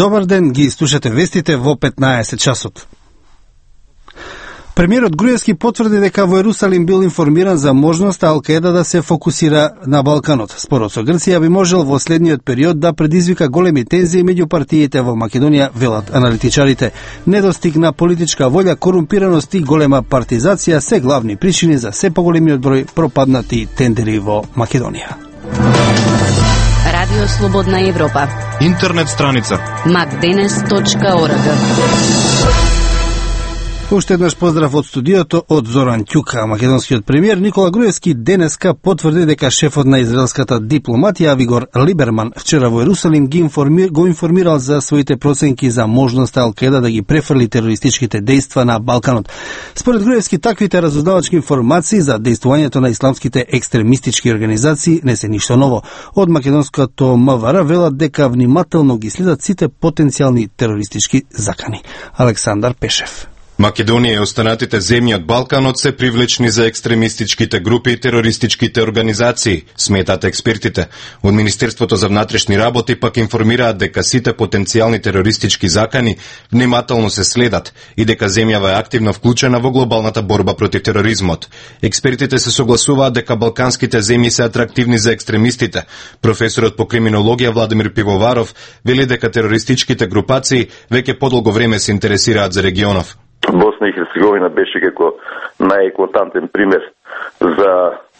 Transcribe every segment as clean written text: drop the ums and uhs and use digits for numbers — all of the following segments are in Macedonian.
Добар ден, ги слушате вестите во 15 часот. Премиерот Груевски потврди дека во Ерусалим бил информиран за можноста Ал-Каеда да се фокусира на Балканот. Спорот со Грција би можел во следниот период да предизвика големи тензии меѓу партиите во Македонија, велат аналитичарите. Недостиг на политичка волја, корумпираност и голема партизација се главни причини за се поголемиот број пропаднати тендери во Македонија. Радио Слободна Европа. Интернет страница macdenes.org. Уште еднаш поздрав од студиото од Зоран Ќука. Македонскиот премиер Никола Груевски денеска потврди дека шефот на израелската дипломатија Авигор Либерман вчера во Ерусалим го информирал за своите проценки за можноста Ал-Каеда да ги префрли терористичките дејства на Балканот. Според Груевски, таквите разузнавачки информации за дејствувањето на исламските екстремистички организации не се ништо ново. Од македонското МВР велат дека внимателно ги следат сите потенцијални терористички закани. Александар Пешев. Македонија и останатите земји од Балканот се привлечни за екстремистичките групи и терористичките организации, сметат експертите. Од Министерството за внатрешни работи пак информираат дека сите потенцијални терористички закани внимателно се следат и дека земјава е активно вклучена во глобалната борба против тероризмот. Експертите се согласуваат дека балканските земји се атрактивни за екстремистите. Професорот по криминологија Владимир Пивоваров вели дека терористичките групации веќе подолго време се интересираат за регионов. Босна и Херцеговина беше како најеклатантен пример за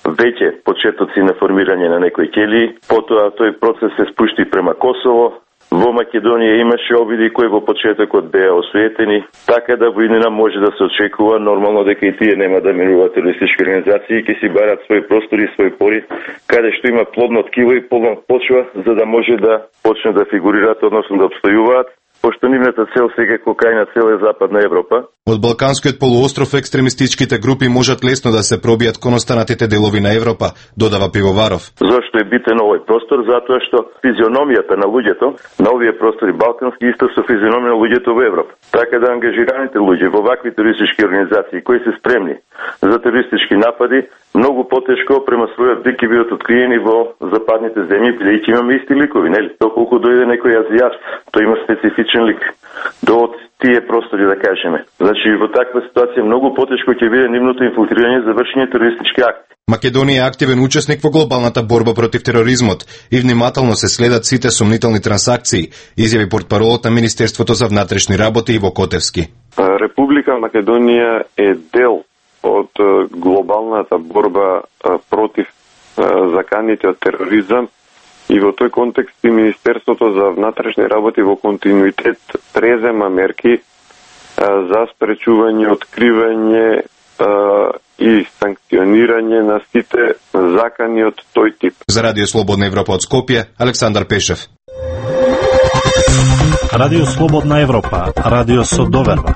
веќе почетоци на формирање на некои ќелии. Потоа тој процес се спушти према Косово. Во Македонија имаше обиди кои во почетокот беа осуетени, така да во иднина може да се очекува нормално дека и тие нема да минуваат терористички организации и ќе си барат своји простори и своји пори, каде што има плодно ткиво и плодна почва, за да може да почнат да фигурираат, односно да обстојуваат, пошто нивната цел сега кокајна цел е Западна Европа. Од Балканскиот полуостров екстремистичките групи можат лесно да се пробијат кон останатите делови на Европа, додава Пивоваров. Зошто е битен овој простор? Затоа што физиономијата на луѓето на овие простори балкански исто со физиономија на луѓето во Европа. Така да ангажираните луѓе во вакви терористички организации кои се спремни за терористички напади, многу потешко према својот вик ќе бидат откриени во западните земји, бидејќи имаме исти ликови, нели? Доколку дојде некој азијат, тој има специфичен лик до тие простори, да кажеме. Значи, во таква ситуација многу потешко ќе биде нивното инфилтрирање за вршење терористички акти. Македонија е активен учесник во глобалната борба против тероризмот и внимателно се следат сите сомнителни трансакции, изјави портпаролот на Министерството за внатрешни работи Иво Котевски. Република Македонија е дел од глобалната борба против заканите од тероризам и во тој контекст и Министерството за внатрешни работи во континуитет презема мерки за спречување, откривање и санкционирање на сите закани од тој тип. За Радио Слободна Европа од Скопје, Александар Пешев. Радио Слободна Европа, радио со доверба.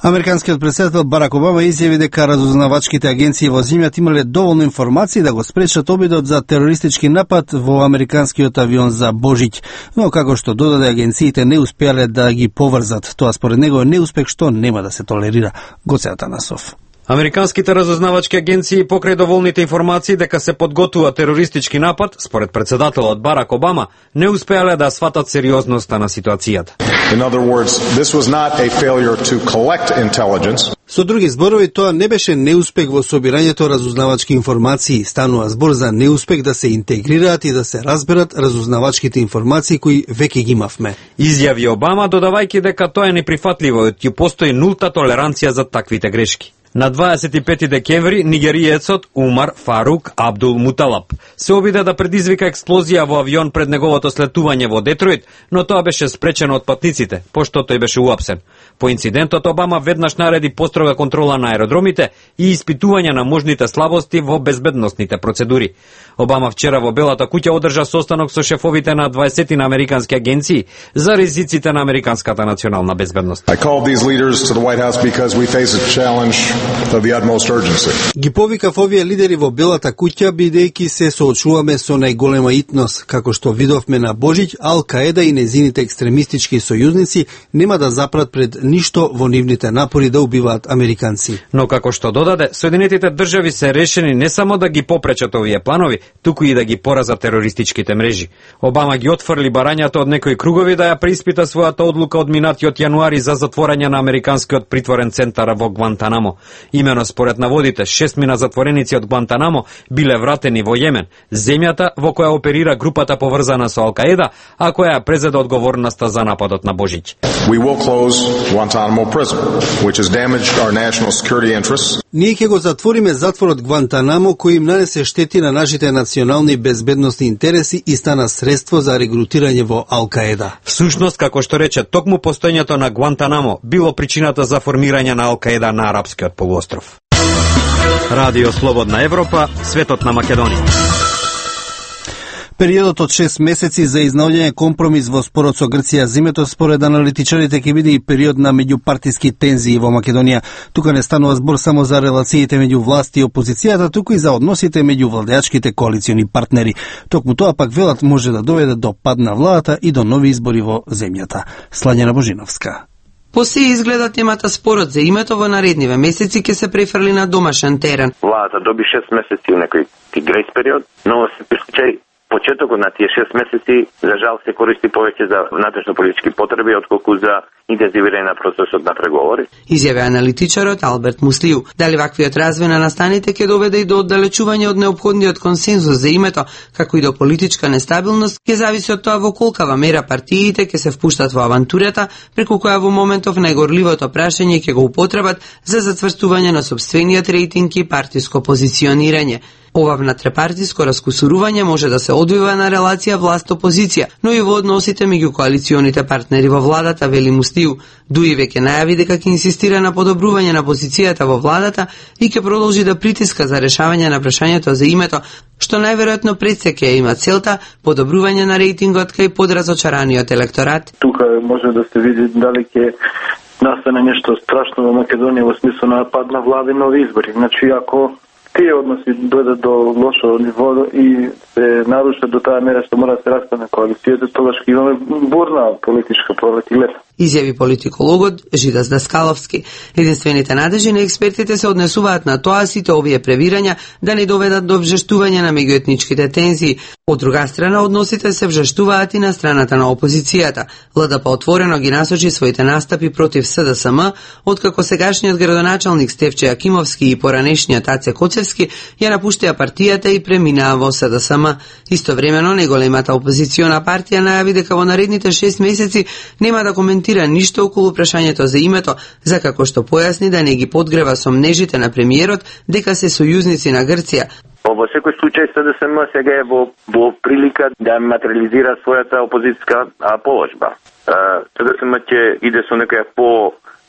Американскиот претседател Барак Обама изјави дека разузнавачките агенции во земјата имале доволно информации да го спречат обидот за терористички напад во американскиот авион за Божиќ, но како што додаде, агенциите не успеале да ги поврзат. Тоа според него е неуспех што нема да се толерира. Гоце Атанасов. Американските разузнавачки агенции покрај доволните информации дека се подготвува терористички напад, според претседателот Барак Обама, не успеале да сватат сериозноста на ситуацијата. In other words, this was not a failure to collect intelligence. Со други зборови, тоа не беше неуспех во собирањето разузнавачки информации, станува збор за неуспех да се интегрираат и да се разберат разузнавачките информации кои веќе ги имавме. Изјави Обама, додавајќи дека тоа е неприфатливо и ќе постои нулта толеранција за таквите грешки. На 25 декември нигериецот Умар Фарук Абдул Муталаб се обиде да предизвика експлозија во авион пред неговото слетување во Детройт, но тоа беше спречено од патниците, пошто тој беше уапсен. По инцидентот Обама веднаш нареди построга контрола на аеродромите и испитување на можните слабости во безбедносните процедури. Обама вчера во Белата куќа одржа состанок со шефовите на 20 на американски агенции за ризиците на американската национална безбедност. I called these leaders to the White House because we face a challenge of the utmost urgency. Ги повикав овие лидери во Белата куќа, бидејќи се соочуваме со најголема итност. Како што видовме на Божиќ, Ал-Каеда и незините екстремистички сојузници нема да запрат пред ништо во нивните напори да убиваат американци. Но како што додаде, Соединетите држави се решени не само да ги попречат овие планови, туку и да ги поразат терористичките мрежи. Обама ги отфрли барањето од некои кругови да ја преиспита својата одлука од минатиот јануари за затворање на американскиот притворен центар во Гвантанамо. Имено според наводите, 6 мина затвореници од Гвантанамо биле вратени во Јемен, земјата во која оперира групата поврзана со Ал-Каеда, а која ја презеде одговорноста за нападот на Божиќ. We will close Guantanamo prison, which has damaged our national security interests. Ние ќе го затвориме затворот Гвантанамо, кој им нанесе штети на нашите национални безбедносни интереси и стана средство за регрутирање во Ал-Каеда. Всушност, како што рече, токму постоењето на Гвантанамо било причината за формирање на Ал-Каеда на Арапскиот полуостров. Радио Слободна Европа, светот на Македонија. Периодот од 6 месеци за изнаоѓање компромис во спорот со Грција зимето според аналитичарите ќе биде и период на меѓупартиски тензии во Македонија. Тука не станува збор само за релациите меѓу власт и опозицијата, туку и за односите меѓу владеачките коалициони партнери. Токму тоа пак велат може да доведе до пад на владата и до нови избори во земјата. Слањана Божиновска. По се изгледа темата спорот за името во наредниве месеци ќе се префрли на домашен терен. Владата доби 6 месеци некој грейс период, но се случај почетокот на тие 6 месеци за жал се користи повеќе за внатрешно-политички потреби отколку за интензивирање на процесот на преговори. Изјави аналитичарот Алберт Муслиу. Дали ваквиот развој на настаните ќе доведе и до оддалечување од неопходниот консензус за името, како и до политичка нестабилност, ќе зависи од тоа во колкава мера партиите ќе се впуштат во авантурата, преку која во моментов најгорливото прашање ќе го употребат за зацврстување на сопствениот рейтинг и партиско позиционирање. Ова внатрепартиско раскусурување може да се одвива на релација власт-опозиција, но и во односите меѓу коалиционите партнери во владата, вели Мустиу. Дуи веќе најави дека ќе инсистира на подобрување на позицијата во владата и ќе продолжи да притиска за решавање на прашањето за името, што најверојатно пред се ќе има целта подобрување на рейтингот кај подразочараниот електорат. Тука може да се види дали ќе настане нешто страшно во Македонија во смисло на пад на влада и нови избори. Значи, ако тие односи дојдат до лошо ниво и се нарушат до таа мера што мора да се распадне коалицијата, тогаш ќе имаме бурна политичка пролет и лето. Изјави политикологот Жидас Даскаловски. Единствените надежи на експертите се однесуваат на тоа сите овие превирања да не доведат до вжештување на меѓуетничките тензии. Од друга страна, односите се вжештуваат и на страната на опозицијата. ЛДП отворено ги насочи своите настапи против СДСМ, откако сегашниот градоначалник Стефче Акимовски и поранешниот Аце Коцевски ја напуштија партијата и преминаа во СДСМ. Истовремено, неголемата опозициона партија најави дека во наредните 6 месеци нема да коментира ништо околу прашањето за името, за како што појасни да не ги подгрева сомнежите на премиерот дека се сојузници на Грција. Во секој случај СДСМ сега е во прилика да материализира својата опозицијска положба. СДСМ ќе иде со некоја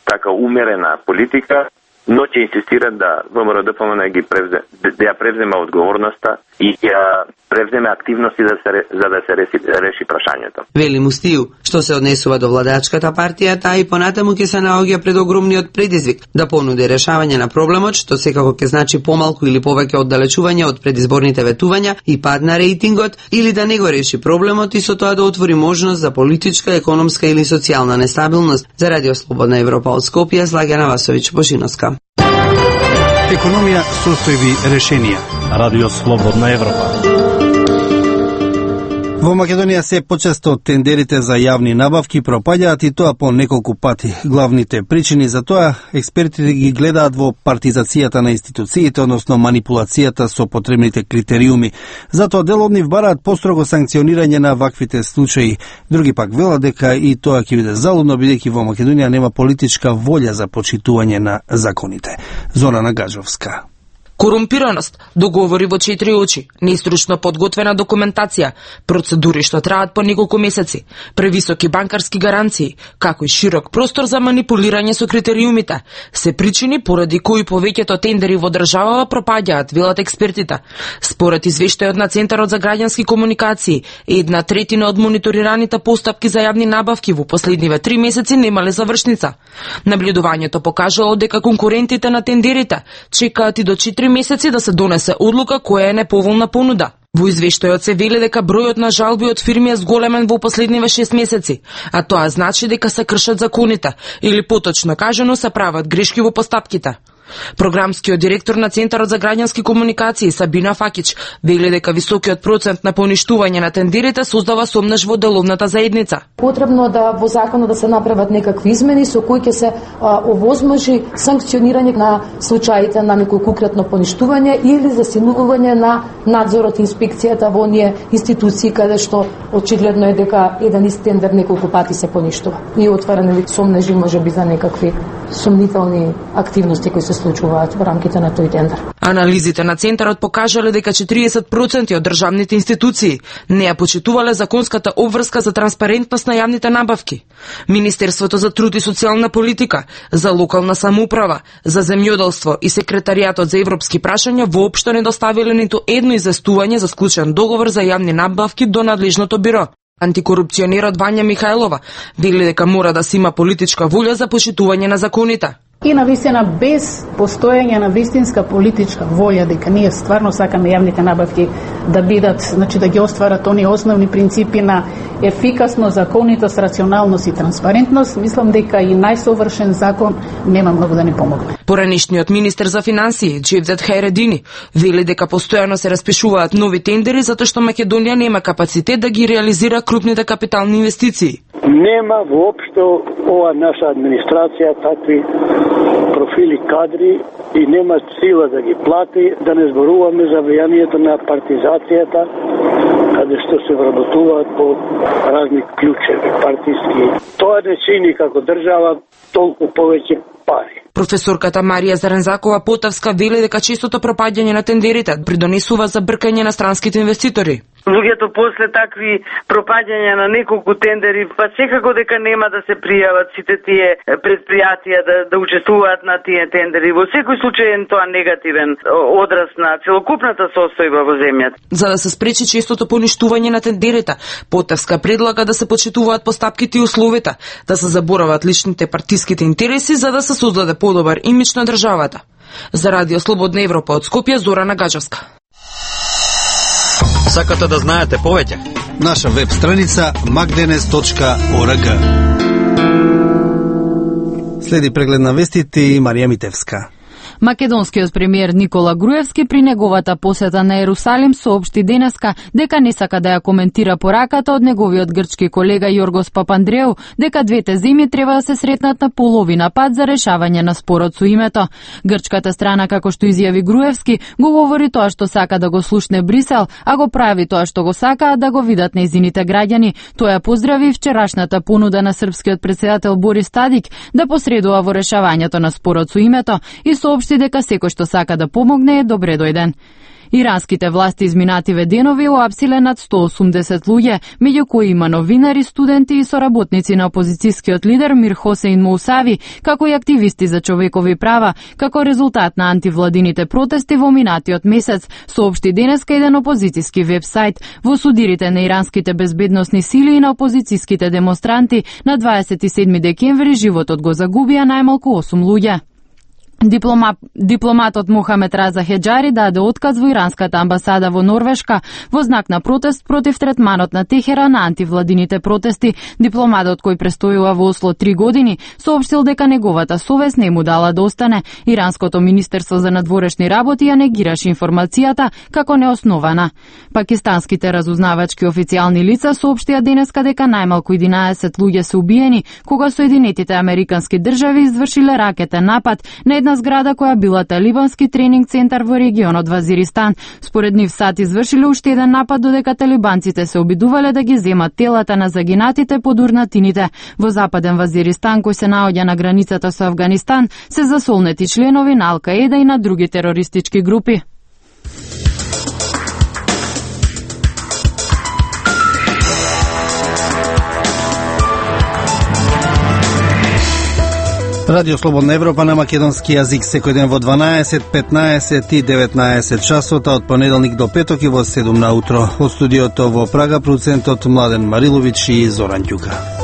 така умерена политика, но ќе инсистира да ВМРО-ДПМН да ја превземе одговорноста и ја превземе активности за да се реши прашањето. Вели Мустиу, што се однесува до владачката партија, таа и понатаму ќе се наоѓа пред огромниот предизвик да понуди решавање на проблемот, што секако ќе значи помалку или повеќе оддалечување од предизборните ветувања и пад на рейтингот, или да не го реши проблемот и со тоа да отвори можност за политичка, економска или социјална нестабилност. За Радио Слободна Европа од Скопје, Слаѓана Васовиќ Бошиновска. Економија, состојби, решенија. Радио Слободна Европа. Во Македонија се почесто тендерите за јавни набавки пропаѓаат и тоа по неколку пати. Главните причини за тоа експертите ги гледаат во партизацијата на институциите, односно манипулацијата со потребните критериуми. Затоа дел од нив бараат построго санкционирање на ваквите случаи. Други пак велат дека и тоа ќе биде залудно, бидејќи во Македонија нема политичка волја за почитување на законите. Зорана Гажовска. Корумпираност, договори во 4 очи, неистручно подготвена документација, процедури што траат по неколку месеци, превисоки банкарски гаранции, како и широк простор за манипулирање со критериумите, се причини поради кои повеќето тендери во државава пропаѓаат, велат експертите. Според извештајот на Центарот за граѓански комуникации, 1/3 од мониторираните постапки за јавни набавки во последниве 3 месеци немале завршница. Наблюдувањето покажало дека конкурентите на тендерите чекаат и до 4 месеци да се донесе одлука која е неповолна понуда. Во извештајот се вели дека бројот на жалби од фирми е зголемен во последниве 6 месеци, а тоа значи дека се кршат законите, или поточно кажано се прават грешки во постапките. Програмскиот директор на Центарот за граѓански комуникации Сабина Факич вели дека високиот процент на поништување на тендерите создава сомнеш во деловната заедница. Потребно да во законот да се направат некакви измени со кои ќе се овозможи санкционирање на случаите на некој конкретно поништување или засилување на надзорот и инспекцијата во оние институции каде што очигледно е дека еден ист тендер неколку пати се поништува. И отваране сомнежи можеби за некакви сомнителни активности кои се случуваат во рамките на тој тендер. Анализите на Центарот покажале дека 40% од државните институции не ја почитувале законската обврска за транспарентност на јавните набавки. Министерството за труд и социјална политика, за локална самоуправа, за земјоделство и секретаријатот за европски прашања воопшто не доставиле ниту едно известување за склучен договор за јавни набавки до надлежното биро. Антикорупционерот Вања Михајлова вели дека мора да се има политичка волја за почитување на законите. И навистина без постоење на вистинска политичка волја дека ние стварно сакаме јавните набавки да бидат, значи да ги остварат оние основни принципи на ефикасност, законитост, рационалност и транспарентност, мислам дека и најсовршен закон нема многу да ни помогне. Поранешниот министер за финансии Джевдет Хајредини вели дека постојано се распишуваат нови тендери затоа што Македонија нема капацитет да ги реализира крупните капитални инвестиции. Нема воопшто ова наша администрација такви профили кадри и нема сила да ги плати, да не зборуваме за влијанието на партизацијата, каде што се вработуваат по разни клучеви партиски. Тоа не чини како држава толку повеќе пари. Професорката Марија Зарензакова Потавска вели дека честото пропаѓање на тендерите придонесува за бркање на странските инвеститори. Луѓето после такви пропаѓања на неколку тендери, па секако дека нема да се пријават сите тие предпријатија да учествуваат на тие тендери. Во секој случај е тоа негативен одраз на целокупната состојба во земјата. За да се спречи честото поништување на тендерите, Потавска предлага да се почитуваат постапките и условите, да се заборават личните партиските интереси за да се создаде подобар имидж на државата. За Радио Слободна Европа од Скопје, Зорана Гаџевска. Сакате да знаете повеќе? Наша веб страница magdenes.org. Следи преглед на вестите и Марија Митевска. Македонскиот премиер Никола Груевски при неговата посета на Ерусалим соопшти денеска дека не сака да ја коментира пораката од неговиот грчки колега Јоргос Папандреу дека двете земји треба да се сретнат на половина пат за решавање на спорот со името. Грчката страна, како што изјави Груевски, го говори тоа што сака да го слушне Брисел, а го прави тоа што го сакаат да го видат нејзините граѓани. Тоа ја поздрави вчерашната понуда на српскиот претседател Борис Тадик да посредува во решавањето на спорот со името и соопшти дека секој што сака да помогне е добре дојден. Иранските власти изминативе денови уапсиле над 180 луѓе, меѓу кои има новинари, студенти и соработници на опозицијскиот лидер Мир Хосеин Моусави, како и активисти за човекови права, како резултат на антивладините протести во минатиот месец, соопшти денеска еден опозицијски вебсайт. Во судирите на иранските безбедносни сили и на опозицијските демонстранти на 27 декември животот го загубија најмалку 8 луѓе. Дипломатот Мохамед Раза Хеджари даде отказ во иранската амбасада во Норвешка во знак на протест против третманот на Техеран на антивладините протести. Дипломатот кој престојува во Осло 3 години соопштил дека неговата совест не му дала да остане. Иранското министерство за надворешни работи ја негираше информацијата како неоснована. Пакистанските разузнавачки официјални лица соопштија денеска дека најмалку 11 луѓе се убиени кога Соединетите американски држави извршиле ракетен напад на една една зграда која била талибански тренинг центар во регионот Вазиристан. Според нив САД извршиле уште еден напад додека талибанците се обидувале да ги земат телата на загинатите под урнатините. Во западен Вазиристан, кој се наоѓа на границата со Авганистан, се засолнети членови на Ал-Каеда и на други терористички групи. Радио Слободна Европа на македонски јазик секој ден во 12, 15 и 19 часот, од понеделник до петок и во 7 на утро. Од студиото во Прага, продуцентот Младен Марилович и Зоран Ѓука.